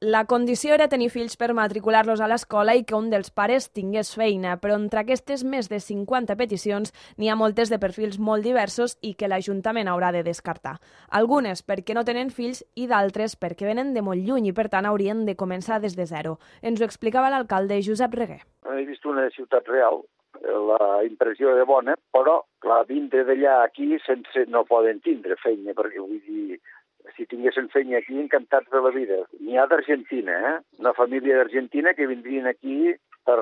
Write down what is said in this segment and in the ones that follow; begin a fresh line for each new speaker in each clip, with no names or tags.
La condició era tenir fills per matricular-los a l'escola i que un dels pares tingués feina, però entre aquestes més de 50 peticions n'hi ha moltes de perfils molt diversos i que l'Ajuntament haurà de descartar. Algunes perquè no tenen fills i d'altres perquè venen de molt lluny i per tant haurien de començar des de zero. Ens ho explicava l'alcalde Josep Reguer.
He vist una ciutat real, la impressió era bona, però clar, vindre d'allà aquí no poden tindre feina, perquè vull dir, si tinguessin feina aquí, encantats de la vida. N'hi ha d'Argentina, una família d'Argentina que vindrien aquí per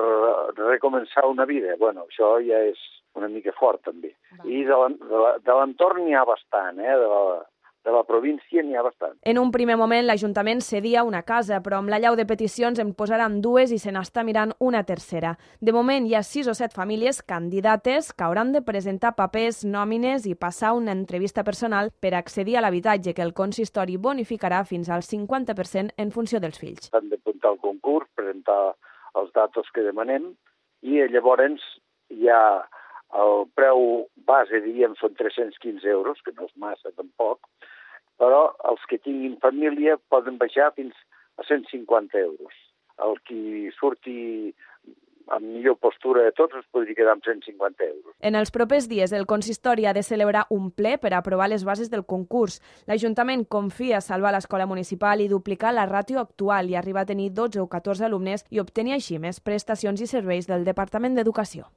recomençar una vida. Bueno, això ja és una mica fort, també. I de l'entorn n'hi ha bastant, de la província n'hi ha bastant.
En un primer moment l'Ajuntament cedia una casa, però amb l'allau de peticions en posaran dues i se n'està mirant una tercera. De moment hi ha 6 o 7 famílies candidates que hauran de presentar papers, nòmines i passar una entrevista personal per accedir a l'habitatge que el consistori bonificarà fins al 50% en funció dels fills.
Han d'apuntar al concurs, presentar els datos que demanem i llavors hi ha el preu base, diríem, són 315 euros, que no és massa tampoc, però els que tinguin família poden baixar fins a 150 euros. El qui surti amb millor postura de tots es podria quedar amb 150 euros.
En els propers dies el consistori ha de celebrar un ple per aprovar les bases del concurs. L'Ajuntament confia salvar l'escola municipal i duplicar la ràtio actual i arribar a tenir 12 o 14 alumnes i obtenir així més prestacions i serveis del Departament d'Educació.